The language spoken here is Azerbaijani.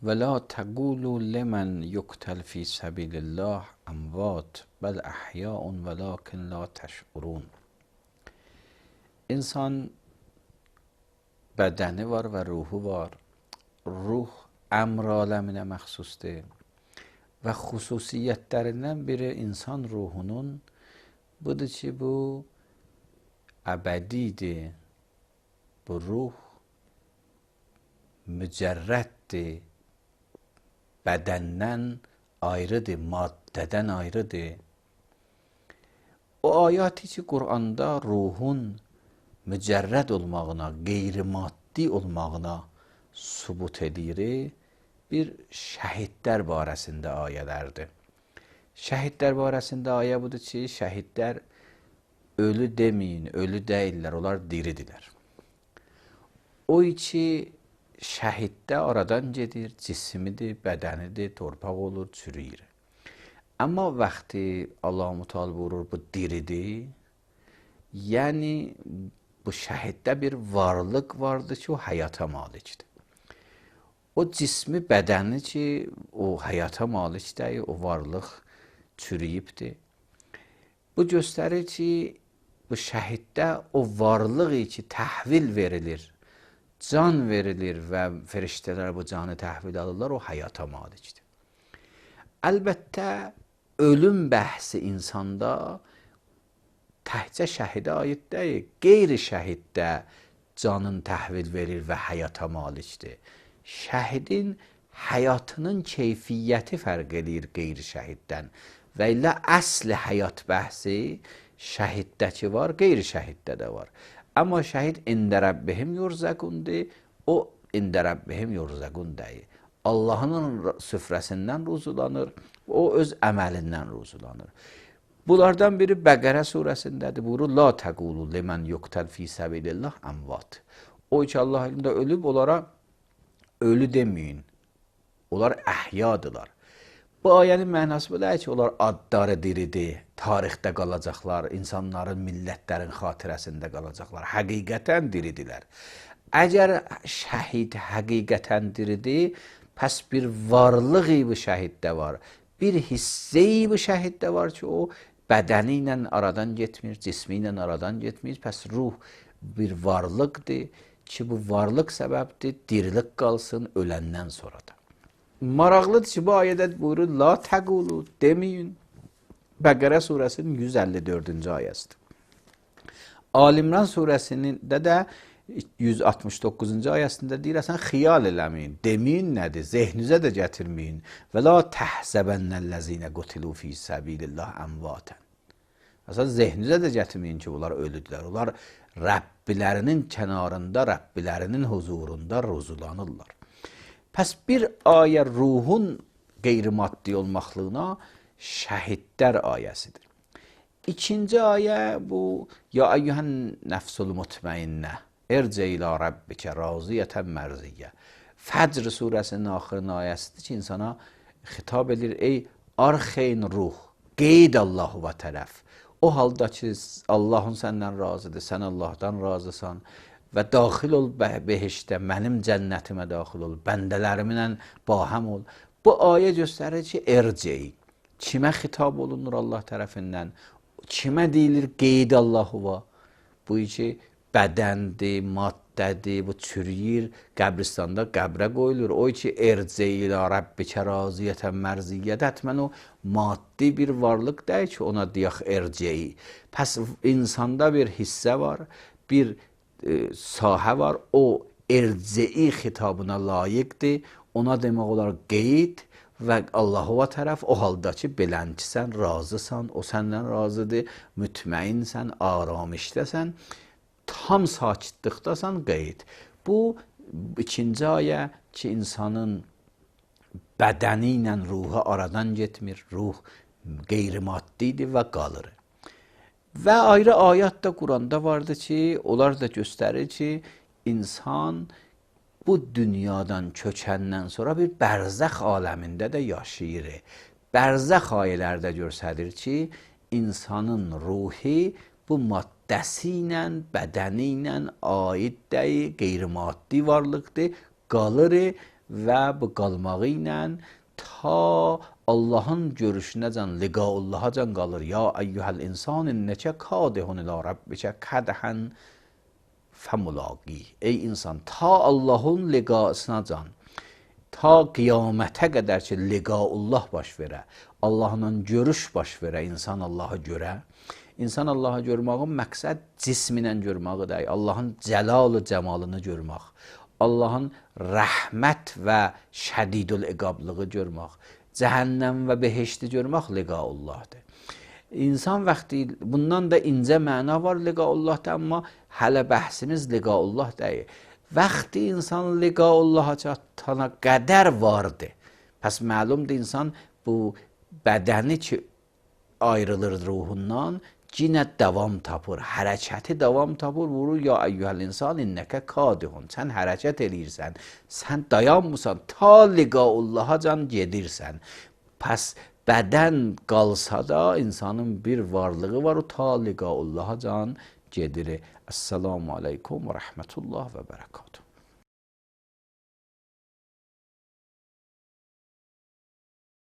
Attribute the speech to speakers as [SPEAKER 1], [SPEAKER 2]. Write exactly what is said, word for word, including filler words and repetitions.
[SPEAKER 1] ولا تقولوا لمن يقتل في سبیل الله اموات بل احیاء ولكن لا تشعرون. İnsan bədəni var və ruhu var. Ruh əmr aləminə məxsusdur və xüsusiyyətlərindən biri insan ruhunun budur ki, bu əbədidir. Bu ruh mücərrəddir, bədəndən ayrıdır, maddədən ayrıdır. O ayəti ki, Quranda ruhun mücərrəd olmağına, qeyri-maddi olmağına sübut edir, bir şəhidlər barəsində ayələrdir. Şəhidlər barəsində ayə budur ki, şəhidlər ölü deməyin, ölü deyirlər, onlar diridirlər. O ki, şəhiddə aradan gedir, cismidir, bədənidir, torpaq olur, çürüyür. Amma vaxtı Allah-u Teala buyurur, bu diridir, yəni bu şəhiddə bir varlıq vardır ki, o həyata malikdir. O cismi, bədəni ki, o həyata malikdir, o varlıq çürüyübdir. Bu göstərir ki, bu şəhiddə o varlığı ki, təhvil verilir, can verilir və feriştələr bu canı təhvil alırlar, o həyata malikdir. Əlbəttə, ölüm bəhsi insanda təhcə şəhidə aid deyil, qeyri şəhiddə canın təhvil verir və həyata malikdir. Şəhidin həyatının keyfiyyəti fərq edir qeyri şəhiddən və ilə əsl həyat bəhsi şəhiddəki var, qeyri şəhiddə də var. Amma şəhid ində Rəbbihim yurzəqundur, o ində Rəbbihim yurzəqun deyil. Allahın süfrəsindən ruzulanır, o öz əməlindən ruzulanır. Bunlardan biri Bəqərə surəsindədir. Buyurur, la təqulu limən yuqtəl fi səbilillah əmvat. O ki, Allah elində ölüb, onlara ölü deməyin. Onlar əhyadılar. Bu ayənin mənası bu deyil ki, onlar adları diridir, tarixdə qalacaqlar, insanların, millətlərin xatirəsində qalacaqlar. Həqiqətən diridilər. Əgər şəhid həqiqətən diridir, pəs bir varlığı bu şəhiddə var. Bir hisseyi bu şəhiddə var ki, o bədəni ilə aradan getmir, cismi ilə aradan getmir. Pəs ruh bir varlıqdır ki, bu varlıq səbəbdir, dirilik qalsın öləndən sonra da. Maraqlıdır ki, bu ayədə buyurur, la təqulu deməyin. Bəqərə surəsinin yüz əlli dördüncü ayəsidir. Alimran surəsində də yüz altmış doqquzuncu ayəsində deyir, sən xiyal eləməyin, deməyin nədir, zehninizə də gətirməyin. Və la təhsəbənnəl-ləzinə qutilu fi səbilillah əmvatən. Məsələn, zehninizə də gətirməyin ki, bunlar ölüdülər. Onlar Rəbbilərinin kənarında, Rəbbilərinin huzurunda ruzulanırlar. Pəs bir ayə ruhun qeyri-maddi olmaqlığına şəhidlər ayəsidir. İkinci ayə bu, ya əyyuhən nəfsul mutmainnə, ercə ilə Rabbikə raziyətən mərziyyə. Fəcr surəsinin axırın ayəsidir ki, insana xitab edir, ey arxeyn ruh, qeyd Allahu və tərəf. O halda ki, Allahın səndən razıdır, sən Allahdan razısan və daxil ol behişdə, mənim cənnətimə daxil ol, bəndələrimlə bahəm ol. Bu ayə göstərir ki, ercəyi. Kimə xitab olunur Allah tərəfindən? Kimə deyilir qeyd Allahu va? Bu ki, bədəndir, maddədir, bu çürüyür, qəbristanda qəbrə qoyulur. O ki, ercəyi ilə Rəbbikə raziyətən mərziyyət, həttmən o maddi bir varlıq deyil ki, ona deyək ercəyi. Pəs insanda bir hissə var, bir e, sahə var, o ercəyi xitabına layiqdir, ona demək olar qeyd və Allahu tərəf o halda ki, belənçisən, razısan, o səndən razıdır, mütməinsən, aramışdəsən, tam sakitlikdasan, qeyd. Bu, ikinci ayə ki, insanın bədəni ilə ruhu aradan getmir, ruh qeyri-maddidir və qalır. Və ayrı ayət də Quranda vardır ki, onlar da göstərir ki, insan bu dünyadan köçəndən sonra bir bərzəx aləmində də yaşayır. Bərzəx ayələrdə göstərir ki, insanın ruhi bu maddəsi ilə, bədəni ilə aid deyil, qeyri-maddi varlıqdır, qalır və bu qalmağı ilə ta Allahın görüşünəcən, liqaullahacan qalır. Ya eyyuhəl insan innəkə kadihun ilə rabbikə kədhən fəmulaqi. Ey insan, ta Allahın liqasınacan, ta qiyamətə qədər ki, liqaullah baş verə, Allahla görüş baş verə, insan Allahı görə. İnsan Allahı görmağın məqsəd cisminlə görməyi deyil, Allahın cəlalı cəmalını görmək, Allahın rəhmət və şədidül iqablığı görmək, cəhənnəm və behişti görmək liqaullahdır. İnsan vaxtı, bundan da incə məna var liqaullahda, amma hələ bəhsimiz liqaullah deyil. Vaxtı insan liqaullaha çatana qədər vardı. Pəs məlumdur, insan bu bədəni ki ayrılır ruhundan, cinə davam tapır, hərəkəti davam tapır, vurur ya eyyuhəl insan innəkə kadihun. Sən hərəkət eləyirsən, sən dayanmısan, ta liqaullahacan gedirsən. Pəs bədən qalsa da insanın bir varlığı var, o ta liqaullahacan gedir. Əssalamu aleykum və rəhmətullah və bərəkatuhu.